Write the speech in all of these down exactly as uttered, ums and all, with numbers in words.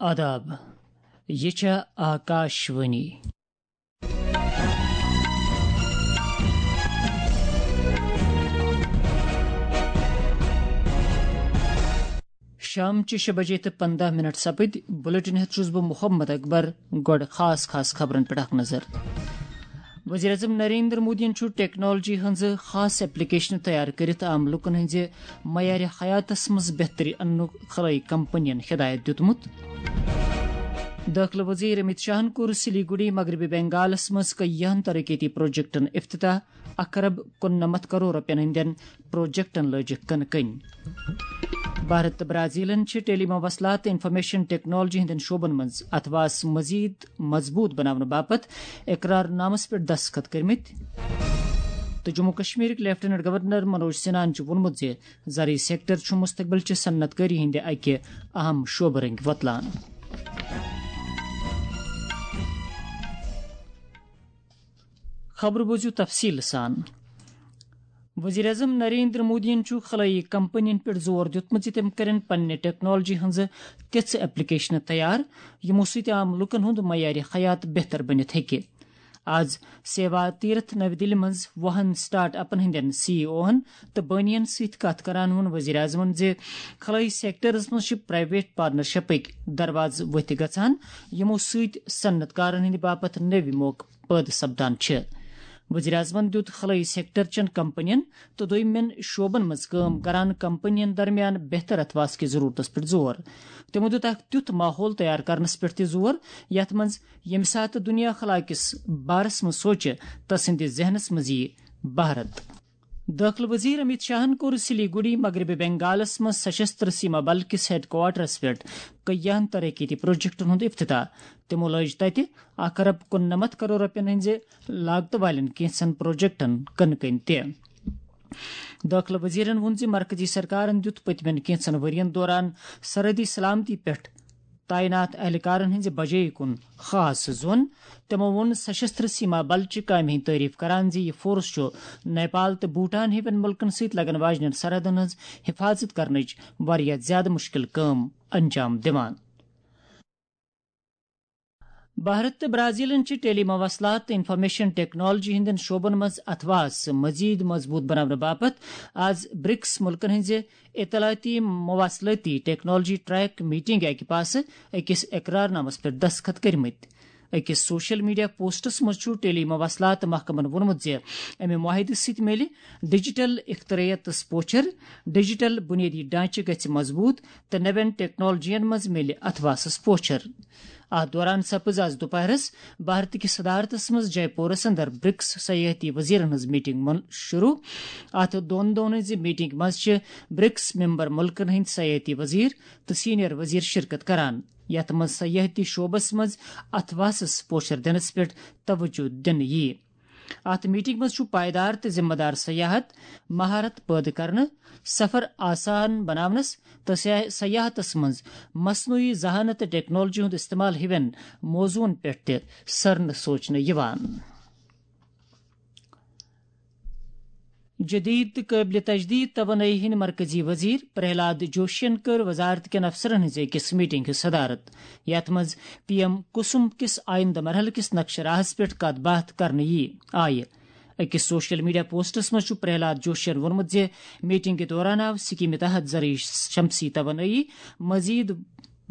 آداب، یہِ چھےٚ آکاش وانی۔ شام چہِ شےٚ بجے تہٕ پنٛداہ منٹ سپٕدۍ۔ بُلٹن ہیٚتھ چھُس بہٕ محمد اکبر۔ گۄڈٕ خاص خاص خبرن پٮ۪ٹھ اکھ نظر۔ وزیر اعظم نریندر مودیَن چھُ ٹیکنالوجی ہٕنٛزٕ خاص ایپلیکیشنہٕ تیار کٔرِتھ عام لوٗکَن ہٕنٛزِ معیارِ حیاتَس منٛز بہتری اَننُک خلٲیی کمپنیَن ہدایت دیُتمُت۔ دٲخلہٕ وزیر امیت شاہَن کوٚر سلیگوڑی مغربی بنگالَس منٛز کٔیاہَن ترقیتی پروجیکٹَن افتتاح۔ اکھ ارب کُننَمَتھ کرور رۄپیَن ہٕنٛدٮ۪ن پروجیکٹَن لٲجِکھ کٕنہٕ کٔنۍ۔ بھارت تہٕ برازیلن چھِ ٹیلی مواصلات تہٕ انفارمیشن ٹیکنالوجی ہٕنٛدٮ۪ن شعبن منٛز اتھواس مزید مضبوط بناونہٕ باپتھ اقرار نامس پٮ۪ٹھ دستخط کٔرمٕتۍ۔ تہٕ جموں کشمیرٕکۍ لیفٹیننٹ گورنر منوج سنہاہن چھُ ووٚنمُت زِ زرعی سیکٹر چھُ مستقبل چہِ صنعت کٲری ہٕنٛدِ اکہِ اہم شعبہٕ رٔنٛگۍ وۄتلان۔ خبرٕ بوٗزِو تفصیٖل سان۔ وزیر اعظم نریندر مودیَن چھُ خلٲیی کمپنین پٮ۪ٹھ زور دیُتمُت زِ تِم کرن پننہِ ٹیکنالوجی ہٕنٛزٕ تِژھٕ ایپلیکیشنہٕ تیار، یِمو سۭتۍ عام لوٗکن ہُنٛد معیارِ حیات بہتر بٔنِتھ ہیٚکہِ۔ آز سیوا تیرتھ نَوِ دِلہِ منٛز وُہَن سٹارٹ اپن ہٕنٛدٮ۪ن سی ای اوہن تہٕ بٲنِین سۭتۍ کتھ کران ووٚن وزیر اعظمن زِ خلٲیی سیکٹرس منٛز چھِ پرائیویٹ پارٹنرشپٕکۍ دروازٕ ؤتھۍ گژھان، یِمو سۭتۍ صنعت کارن ہٕنٛدِ باپتھ نٔوۍ موقعہٕ پٲدٕ سپدان چھِ۔ وزیر اعظمن دیُت خلٲیی سیکٹر چٮ۪ن کمپنین تہٕ دوٚیمٮ۪ن شعبن منٛز کٲم کران کمپنین درمیان بہتر اتھواس کِس ضرورتس پٮ۪ٹھ زور۔ تِمو دیُت اکھ تیُتھ ماحول تیار کرنس پٮ۪ٹھ تہِ زور، یتھ منٛز ییٚمہِ ساتہٕ دُنیا خلا کِس بارس منٛز سوچہِ، تسٕنٛدِ ذہنس منٛز یِیہِ بھارت۔ دٲخلہٕ وزیر امیت شاہن کوٚر سلیگوڑی مغربی بنگالس منٛز سشستر سیما بل کِس ہیڈ کوارٹرس پٮ۪ٹھ کٔیاہن ترقیتی پروجیکٹن ہُنٛد افتتاح۔ تِمو لٲج تتہِ اکھ ارب کُننَمَتھ کرور رۄپین ہٕنٛزِ لاگتہٕ والٮ۪ن کینٛژن پروجیکٹن کٕنہٕ کٔنۍ تہِ۔ دٲخلہٕ وزیرن ووٚن زِ مرکزی سرکارن دیُت پٔتمٮ۪ن کینٛژن ؤرین دوران سرحدی سلامتی پٮ۪ٹھ تعینات اہلکارن ہٕنٛزِ بجٲیی کُن خاص زون۔ تِمو ووٚن، سشستر سیما بل چہِ کامہِ ہٕنٛدۍ تعریف کران زِ یہِ فورس چھُ نیپال تہٕ بھوٹان ہِوٮ۪ن مُلکن سۭتۍ لگن واجنٮ۪ن سرحدن ہٕنٛز حفاظت کرنٕچ واریاہ زیادٕ مُشکل کٲم انجام دِوان۔ بھارت تہٕ برازیلن چھِ ٹیلی مواصلات تہٕ انفارمیشن ٹیکنالوجی ہٕنٛدٮ۪ن شعبن منٛز اتھواس مزید مضبوط بناونہٕ باپتھ آز برکس مُلکن ہٕنٛزِ اطلاعاتی مواصلٲتی ٹیکنالوجی ٹریک میٹنگ اکہِ پاسہٕ أکِس اقرار نامس پٮ۪ٹھ دستخط کٔرمٕتۍ۔ أکِس سوشل میڈیا پوسٹس منٛز چھُ ٹیلی مواصلات محکمن ووٚنمُت زِ امہِ معاہدٕ سۭتۍ میلہِ ڈیجیٹل اختراعیتس پوچھر، ڈیجیٹل بنیٲدی ڈھانچہٕ گژھِ مضبوط تہٕ نوٮ۪ن ٹیکنالوجین منٛز میلہِ اتھواسس پوچھر۔ اتھ دوران سپٕز آز دُپہرس بھارت کِس صدارتس منٛز جے پورس اندر برکس سیاحتی وزیرن ہٕنٛز میٹنگ من شروع۔ اتھ دۄن دۄہن ہٕنٛزِ میٹنگ منٛز چھِ برکس ممبر مُلکن ہٕنٛدۍ سیاحتی وزیر تہٕ سینئر وزیر شرکت کران، یتھ منٛز سیاحتی شعبس منٛز اتھواسس پوچھر دِنس پٮ۪ٹھ توجہ دِنہٕ یِیہِ۔ اتھ میٹنگ منٛز چھُ پائیدار تہٕ ذمہ دار سیاحت، مہارت پٲدٕ کرنہٕ، سفر آسان بناونس تہٕ سیا-، سیاحتس منٛز مصنوعی ذہانت تہٕ ٹیکنالوجی ہُنٛد استعمال ہِوٮ۪ن موضوعن پٮ۪ٹھ تہِ سرنہٕ سوچنہٕ یِوان۔ جدید تہٕ قٲبلِ تجدید توانٲیی ہٕنٛدۍ مرکزی وزیر پرہلاد جوشین کٔر وزارت کٮ۪ن افسرن ہٕنٛزِ أکِس میٹنگ ہٕنٛز صدارت، یتھ منٛز پی ایم کسم کِس آیندٕ مرحلہٕ کِس نقشہٕ راہس پٮ۪ٹھ کتھ باتھ کرنہٕ یِیہِ۔ آیہِ أکِس سوشل میڈیا پوسٹس منٛز چھُ پرہلاد جوشین ووٚنمُت زِ میٹنگ کہِ دوران آو سکیمہِ تحت زرعی شمسی توانٲیی مزید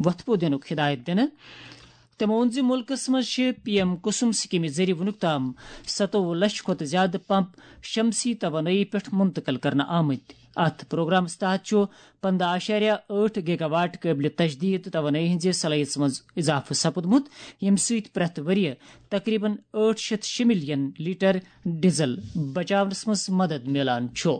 وۄتھٕ پھو دِنُک ہدایت دِنہٕ۔ تٔمۍ ووٚن زِ مُلکَس منٛز چھِ پی ایم کُسُم سکیمہِ ذٔریعہٕ وُنیُک تام ستووُہ لچھ کھۄتہٕ زِیٛادٕ پمپ شمسی توانٲیی پٮ۪ٹھ منتقل کرنہٕ آمٕتۍ۔ اَتھ پروگرامَس تحت چھُ پنٛداہ اعشاریہ ٲٹھ گیگا واٹ قٲبلِ تجدید توانٲیی ہٕنٛزِ صلٲحیتَس منٛز اضافہٕ سپُدمُت، ییٚمہِ سۭتۍ پرٛٮ۪تھ ؤرۍ یہِ تقریباً ٲٹھ شیٚتھ شےٚ ملین لیٹر ڈیزل بچاونَس منٛز مدد میلان چھُ۔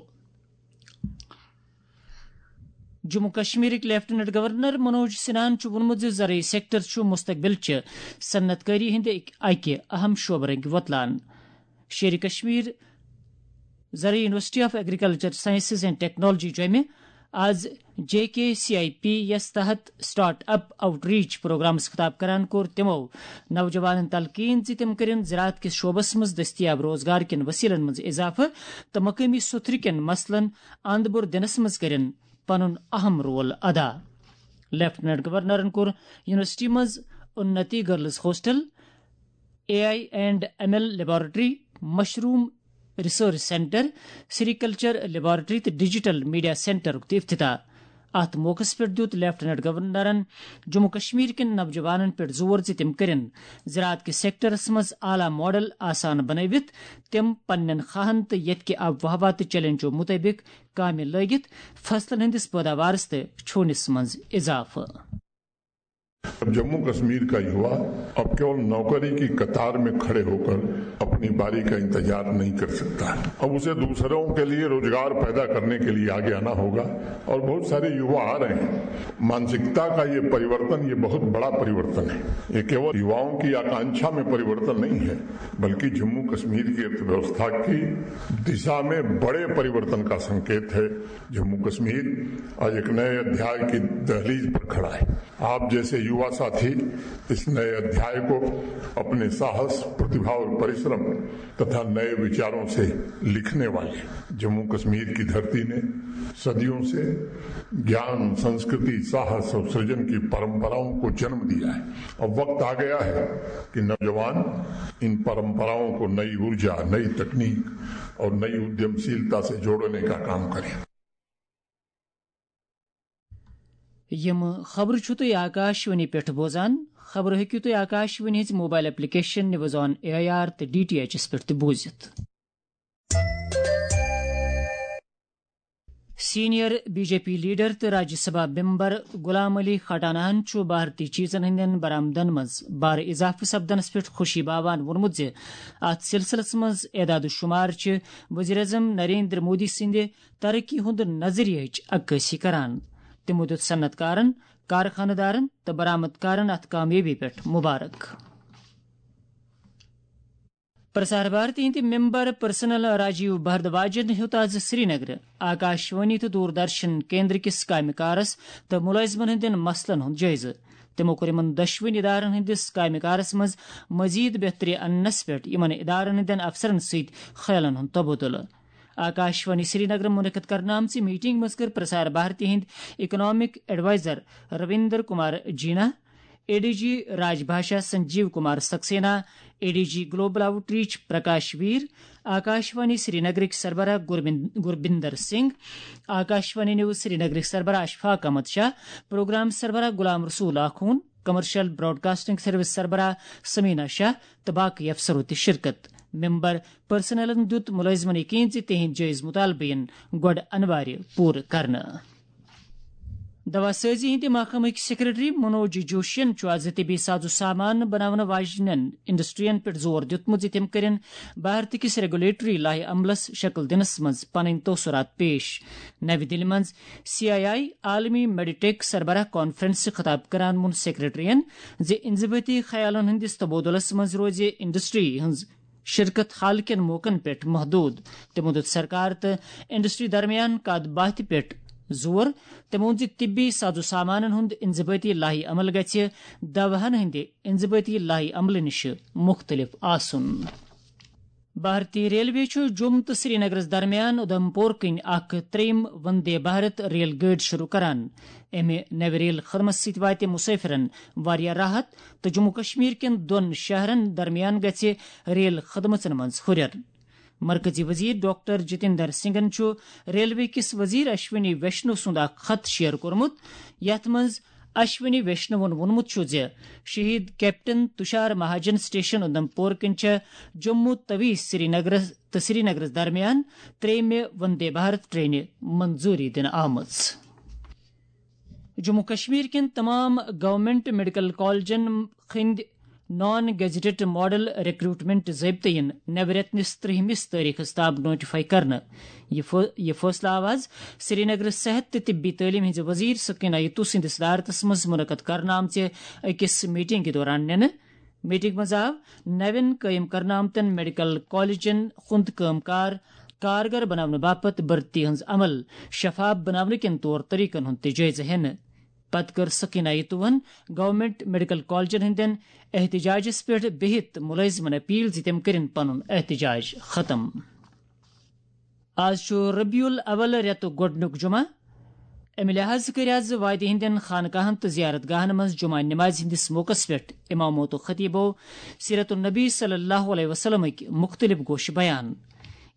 جموں کشمیرٕکۍ لیفٹیننٹ گورنر منوج سنہاہن چھُ ووٚنمُت زِ زرعی سیکٹر چھُ مستقبل چہِ صنعت کٲری ہٕنٛدِ اکہِ اہم شعبہٕ رٔنٛگۍ وۄتلان۔ شیرِ کشمیر زرعی university of agriculture sciences and technology جوٚمہِ آز J K C I P یَس تحت سٹارٹ اپ آؤٹ ریچ پروگرامس خطاب کران کوٚر تِمو نوجوانن تلقین زِ تِم کٔرِن زراعت کِس شعبس منٛز دٔستیاب روزگار کٮ۪ن وسیلن منٛز اضافہٕ تہٕ مقٲمی سُتھرٕ کٮ۪ن مسلن اند بُر دِنس منٛز کٔرِن پنُن اہم رول ادا۔ لیفٹیننٹ گورنرن کوٚر یونیورسٹی منٛز انتی girls hostel, A I and M L laboratory, mushroom research centre, sericulture laboratory تہٕ ڈیجیٹل میڈیا سینٹرُک تہِ افتتاح۔ اتھ موقعس پٮ۪ٹھ دیُت لیفٹیننٹ گورنرن جموں کشمیر کٮ۪ن نوجوانن پٮ۪ٹھ زور زِ تِم کٔرِن زراعت کِس سیکٹرس منٛز اعلیٰ ماڈل آسان بنٲوِتھ تِم پننٮ۪ن خواہن تہٕ ییٚتہِ کہِ آب و ہوا تہٕ چیلنجو مُطٲبِق کامہِ لٲگِتھ فصلن ہٕنٛدِس پٲداوارس تہٕ چھونِس منٛز اضافہٕ۔ अब जम्मू कश्मीर का युवा अब केवल नौकरी की कतार में खड़े होकर अपनी बारी का इंतजार नहीं कर सकता है। अब उसे दूसरों के लिए रोजगार पैदा करने के लिए आगे आना होगा और बहुत सारे युवा आ रहे हैं। मानसिकता का ये परिवर्तन, ये बहुत बड़ा परिवर्तन है। ये केवल युवाओं की आकांक्षा में परिवर्तन नहीं है, बल्कि जम्मू कश्मीर की अर्थव्यवस्था की दिशा में बड़े परिवर्तन का संकेत है। जम्मू कश्मीर आज एक नए अध्याय की दहलीज पर खड़ा है। आप जैसे युवा साथी इस नए अध्याय को अपने साहस, प्रतिभा और परिश्रम तथा नए विचारों से लिखने वाले। जम्मू कश्मीर की धरती ने सदियों से ज्ञान, संस्कृति, साहस और सृजन की परंपराओं को जन्म दिया है। अब वक्त आ गया है कि नौजवान इन परंपराओं को नई ऊर्जा, नई तकनीक और नई उद्यमशीलता से जोड़ने का काम करें। یِم خبرٕ چھِو تُہۍ آکاشوانی پٮ۪ٹھ بوزان۔ خبرٕ ہیٚکِو تُہۍ آکاشوانی ہٕنٛزِ mobile application news on A I R تہٕ ڈی ٹی ایچ پٮ۪ٹھ تہِ بوٗزِتھ۔ Senior B J P leader تہٕ راجیہ سبھا ممبر غلام علی کھٹانہن چھُ بھارتی چیزن ہٕنٛدٮ۪ن برآمدن منٛز بارٕ اضافہٕ سپدنس پٮ۪ٹھ خوشی باوان ووٚنمُت زِ اتھ سلسلس منٛز اعداد و شمار چھِ وزیر اعظم نریندر مودی سٕنٛدِ ترقی ہُنٛد نظریہٕچ عکٲسی کران۔ تِمو دیُت صنعت کارن، کارخانہٕ دارن تہٕ برآمد کارن اتھ کامیٲبی پٮ۪ٹھ مبارک۔ پرسار بھارتی ہٕنٛدِ ممبر پرسنل راجیو بھردواجن ہیوٚت از سرینگرٕ آکاشوانی تہٕ دوردرشن کیندر کِس کامہِ کارس تہٕ مُلٲزمن ہٕنٛدٮ۪ن مسلن ہُنٛد جٲیزٕ۔ تِمو کوٚر یِمن دۄشوٕنی ادارن ہٕنٛدِس کامہِ کارس منٛز مزید بہتری اننس پٮ۪ٹھ یِمن ادارن ہٕنٛدٮ۪ن افسرن سۭتۍ خیالن ہُنٛد تبادلہٕ۔ آکاشوانی سرینگرٕ منعقد کرنہٕ آمژِ میٹنگ منٛز کٔر پرسار بھارتی ہٕنٛدۍ اکنامک ایڈوائزر رویندر کمار جینا، A D G Raj Bhasha Sanjeev Kumar Saxena, A D G global outreach Prakash Veer, Akashvani سرینگرٕکۍ سربراہ گوربند-، گوربندر سنگھ، آکاشوانی نیوز سرینگرٕکۍ سربراہ اشفاق احمد شاہ، پروگرام سربراہ Ghulam Rasool Akhoon, commercial broadcasting service سربراہ سمینا شاہ تہٕ باقٕے افسرو تہِ شرکت۔ ممبر پرسنلن دیُت مُلٲزمن یقین زِ تِہنٛدۍ جٲیز مُطالبہٕ یِن گۄڈٕ انوارِ پوٗرٕ کرنہٕ۔ دوا سٲزی ہٕنٛدِ محکمٕکۍ سیکرٹری منوج جوشین چھُ از طبی ساز و سامان بناونہٕ واجنٮ۪ن انڈسٹرین پٮ۪ٹھ زور دیُتمُت زِ تِم کٔرِن بھارت کِس ریگولیٹری لایحہ عملس شکل دِنس منٛز پنٕنۍ تٲثرات پیش۔ نَوِ دِلہِ منٛز سی آئی آئی عالمی میڈیٹیک سربراہ کانفرنس خطاب کران ووٚن سیکرٹریَن زِ انضبٲطی خیالن ہٕنٛدِس تبادلس منٛز روزِ انڈسٹری ہٕنٛز شرکت حال کٮ۪ن موقعن پٮ۪ٹھ محدود۔ تِمو دیُت سرکار تہٕ انڈسٹری درمیان کتھ باتھِ پٮ۪ٹھ زور۔ تِمو ووٚن زِ طبی ساز و سامانن ہُنٛد انضبٲطی لایحہ عمل گژھِ دواہن ہٕنٛدِ انضبٲطی لایحہ عملہٕ نِش مُختٔلِف آسُن۔ بھارتی ریلوے چھُ جوم تہٕ سرینگرس درمیان اُدھمپور کِنۍ اکھ ترٛیٚیِم وندے بھارت ریل گٲڑۍ شروع کران۔ امہِ نوِ ریل خدمت سۭتۍ واتہِ مسافرن واریاہ راحت تہٕ جموں کشمیر کٮ۪ن دۄن شہرن درمیان گژھِ ریل خدمژن منٛز ہُرٮ۪ر۔ مرکزی وزیر ڈاکٹر جتیندر سنگھن چھُ ریلوے کِس وزیر اشونی ویشنو سُنٛد اکھ خط شیئر کوٚرمُت، یتھ منٛز اشونی ویشنوَن ووٚنمُت چھُ زِ شہید کیپٹن تشار مہاجن سٹیشن اُدھمپور کِنۍ چھےٚ جموں توی سرینگرس تہٕ سرینگرس درمیان ترٛیٚیِمہِ وندے بھارت ٹرینہِ منظوری دِنہٕ آمٕژ۔ جموں کشمیر کٮ۪ن تمام گورنمنٹ میڈیکل کالجن ہٕنٛدۍ نان گیزٹڈ ماڈل ریکروٹمنٹ ضٲبطہٕ یِن نوِ رٮ۪تہٕ نِس ترٛہمِس تٲریخس تام نوٹیفائی کرنہٕ۔ یہِ فٲ-، یہِ فٲصلہٕ آو از سرینگرٕ صحت تہٕ طبی تعلیٖم ہٕنٛزِ وزیر سکینہ یتو سٕنٛدِس صدارتس منٛز منعقد کرنہٕ آمژِ أکِس میٹنگہِ دوران نِنہٕ۔ میٹنگ منٛز آو نوٮ۪ن قٲیِم کرنہٕ آمتٮ۪ن میڈیکل کالجن ہُنٛد کٲم کار کارگر بناونہٕ باپتھ بھرتی ہٕنٛز عمل شفاف بناونہٕ کٮ۪ن طور طریقن ہُنٛد تہِ جٲیزٕ ہٮ۪نہٕ۔ پتہٕ کٔر سکینہ یتوہن گورنمنٹ میڈیکل کالجن ہٕنٛدٮ۪ن احتجاجس پٮ۪ٹھ بِہِتھ مُلٲزمن اپیل زِ تِم کٔرِن پنُن احتجاج ختم۔ آز چھُ ربیع الاول رٮ۪تُک گۄڈٕنیُک جمعہ۔ امہِ لحاظ کٔرۍ آز وادی ہٕنٛدٮ۪ن خانقاہن تہٕ زیارت گاہن منٛز جمعہ نمازِ ہٕنٛدِس موقعس پٮ۪ٹھ امامو تہٕ خطیبو سیرت النبی صلی اللہ علیہ وسلمٕکۍ مختلف گوشہِ بیان۔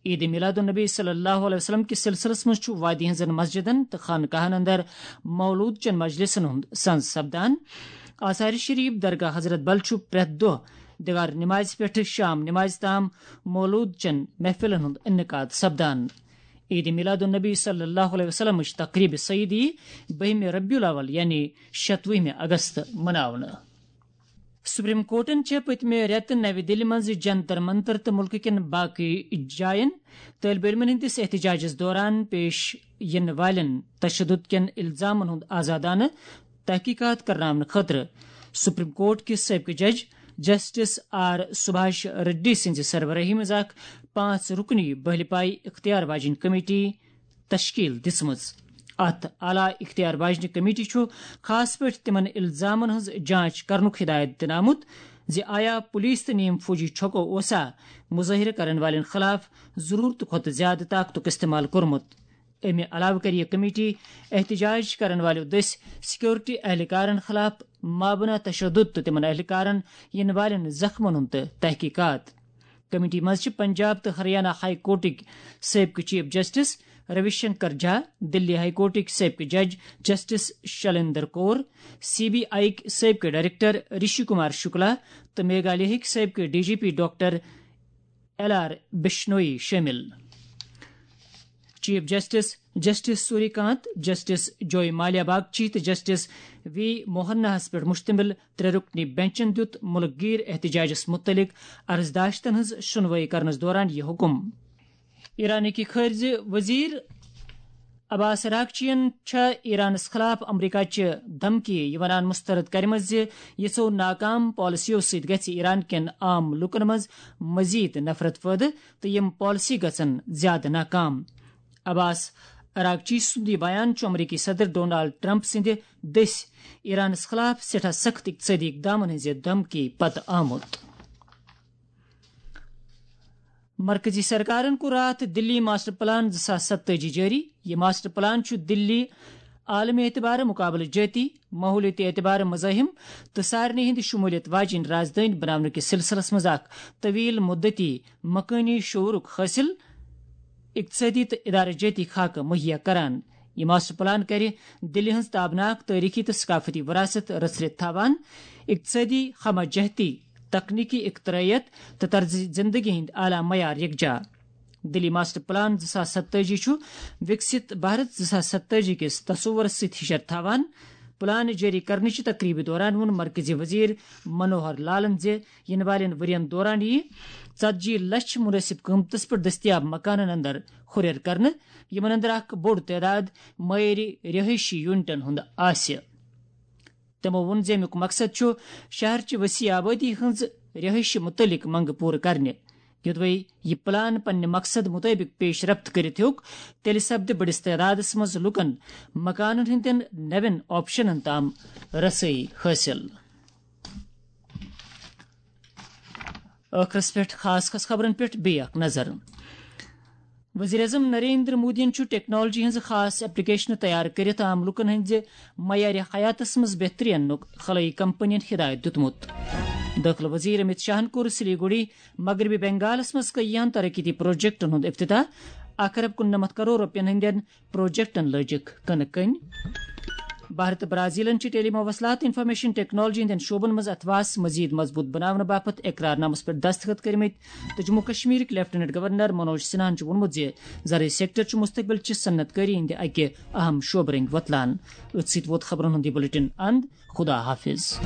عید میلاد النبی صلی اللہ علیہ وسلم کِس سلسلس منٛز چھُ وادی ہٕنٛزن مسجدن تہٕ خانقاہن اندر مولود چٮ۪ن مجلسن ہُنٛد سنز سپدان۔ آثار شریف، درگاہ حضرت بل چھُ پرٛٮ۪تھ دۄہ دیوار نمازِ پٮ۪ٹھٕ شام نمازِ تام مولود چٮ۪ن محفلن ہُنٛد انعقاد سپدان۔ عید میلاد النبی صلی اللہ علیہ وسلمٕچ تقریب سعید یی بٔہمہِ ربیع الاول یعنی شتوُہمہِ اگست مناونہٕ۔ سپریم کورٹن چھےٚ پٔتمہِ رٮ۪تہٕ نَوِ دِلہِ منٛز جنتر منتر تہٕ مُلکہٕ کٮ۪ن باقٕے جاین طٲلبہِ علمن ہٕنٛدِس احتجاجس دوران پیش یِنہٕ والٮ۪ن تشدد کٮ۪ن الزامن ہُنٛد آزادانہٕ تحقیقات کرناونہٕ خٲطرٕ سپریم کورٹ کِس سٲبقہٕ جج جسٹس آر سبھاش ریڈی سٕنٛزِ سربرٲہی منٛز اکھ پانٛژھ رُکنی بہلہِ پایہِ اختیار واجیٚنۍ کمیٹی تشکیل دِژمٕژ۔ اتھ اعلیٰ اختیار واجنہِ کمیٹی چھُ خاص پٲٹھۍ تِمن الزامن ہٕنٛز جانچ کرنُک ہدایت دِنہٕ آمُت زِ آیا پولیس تہٕ نیم فوجی چھۄکو اوسا مظٲہرٕ کرن والٮ۪ن خلاف ضرورتہٕ کھۄتہٕ زیادٕ طاقتُک استعمال کوٚرمُت۔ امہِ علاوٕ کَرِ یہِ کمیٹی احتجاج کرن والٮ۪و دٔسۍ سیکورٹی اہلکارن خلاف مابنا تشدد تہٕ تِمن اہلکارن یِنہٕ والٮ۪ن زخمن ہُنٛد تہٕ تحقیقات۔ کمیٹی منٛز چھِ پنجاب تہٕ ہریانہ ہائی کورٹٕکۍ سٲبقہٕ چیف جسٹس روی شنکر جھا، دلی ہائی کورٹٕکۍ سٲبقہٕ جج جسٹس شلیندر کور، سی بی آئی ہٕکۍ سٲبقہٕ ڈائریکٹر رشی کمار شکلا تہٕ میگھالیہ ہٕکۍ سٲبقہٕ D G P doctor L R Bishnoi شٲمِل۔ Chief justice justice Surya Kant, justice Joymalya Bagchi تہٕ جسٹس وی موہناہس پٮ۪ٹھ مشتمل ترٛےٚ رُکنی بینچن دیُت مُلک گیر احتجاجس مُتعلق عرضداشتن ہٕنٛز شُنوٲیی کرنس دوران یہِ حُکُم۔ ایرانٕکۍ خارجہ وزیر عباس عراقچین چھےٚ ایرانس خلاف امریکہ چہِ دھمکی یہِ ونان مسترد کرمٕژ زِ یِژھو ناکام پالیسیو سۭتۍ گژھِ ایران کٮ۪ن عام لوٗکن منٛز مزید نفرت پٲدٕ تہٕ یِم پالیسی گژھن زیادٕ ناکام۔ عباس عراقچی سُنٛد یہِ بیان چھُ امریکی صدر ڈونالڈ ٹرمپ سٕنٛدِ دٔسۍ ایرانس خلاف سٮ۪ٹھاہ سخت اقتصٲدی اقدامن ہٕنٛزِ دھمکی پتہٕ آمُت۔ مرکزی سرکارن کوٚر راتھ دِلی ماسٹر پلان زٕ ساس ستٲجی جٲری۔ یہِ ماسٹر پلان چھُ دِلی عالمی اعتبارٕ مقابلہٕ جٲتی، ماحولیٲتی اعتبارٕ مزاحم تہٕ سارنٕے ہٕنٛدِ شمولیت واجیٚنۍ رازدٲنۍ بناونہٕ کِس سلسلس منٛز اکھ طویل مدتی مکٲنی شعورُک حٲصِل اقتصٲدی تہٕ ادارٕ جٲتی خاکہٕ مہیا کران۔ یہِ ماسٹر پلان کرِ دِلہِ ہٕنٛز تابناک تٲریخی تہٕ ثقافتی وراثت رژھرِتھ تھاوان، اقتصٲدی ہمہ جہتی، تکنیکی اختراعیت تہٕ طرز زندگی ہٕنٛدۍ اعلیٰ معیار یکجا۔ دِلی ماسٹر پلان زٕ ساس ستٲجی چھُ وِکسِت بھارت زٕ ساس ستٲجی کِس تصورس سۭتۍ ہِشر تھاوان۔ پلان جٲری کرنٕچہِ تقریبہِ دوران ووٚن مرکزی وزیر منوہر لالن زِ یِنہٕ والٮ۪ن ؤرین دوران یِیہِ ژتجی لچھ مناسب قۭمتس پٮ۪ٹھ دٔستیاب مکانن اندر ہُرٮ۪ر کرنہٕ، یِمن اندر اکھ بوٚڑ تعداد معیٲری رہٲیشی یونٹن ہُنٛد آسہِ۔ تِمو ووٚن زِ اَمیُک مقصد چھُ شہر چہِ وسیع آبٲدی ہٕنٛز رہٲیشہِ مُتعلق منٛگہٕ پوٗرٕ کرنہِ۔ یوٚدوَے یہِ پلان پننہِ مقصد مُطٲبِق پیش رفت کٔرِتھ ہیوٚک، تیٚلہِ سپدِ بٔڑِس تعدادَس منٛز لوٗکَن مکانَن ہٕنٛدٮ۪ن نوٮ۪ن آپشنَن تام رسٲیی حٲصِل۔ ٲخرس پٮ۪ٹھ خاص خاص خبرن پٮ۪ٹھ بیٚیہِ اکھ نظر۔ وزیر اعظم نریندر مودیَن چھُ ٹیکنالوجی ہٕنٛز خاص ایپلیکیشنہٕ تیار کٔرِتھ عام لوٗکَن ہٕنٛزِ معیار حیاتَس منٛز بہتری اَننُک خلٲیی کمپنین ہدایت دیُتمُت۔ دٲخلہٕ وزیر امت شاہَن کوٚر سلیگوڑی مغربی بنگالَس منٛز کٔیِہَن ترقیتی پروجیکٹَن ہُنٛد افتتاح۔ اکھ ارب کُننَمتھ کرور رۄپیَن ہٕنٛدٮ۪ن پروجیکٹَن لٲجِکھ کٕنہٕ کٔنۍ۔ بھارت تہٕ برازیلَن چھِ ٹیلی مواصلات تہٕ انفارمیشن ٹیکنالوجی ہٕنٛدٮ۪ن شعبَن منٛز اتھواس مزید مضبوط بناونہٕ باپتھ اقرار نامس پٮ۪ٹھ دستخط کٔرمٕتۍ تہٕ جموں کشمیرٕکۍ لیفٹیننٹ گورنر منوج سنہاہَن چھُ ووٚنمُت زِ زرعی سیکٹر چھُ مستقبل چہِ صنعت کٲری ہٕنٛدِ اکہِ اہم شعبہٕ رٔنٛگۍ وۄتلان۔ أتھۍ سۭتۍ ووت خبرَن ہُنٛد یہِ بلیٹن اند۔ خدا حافظ۔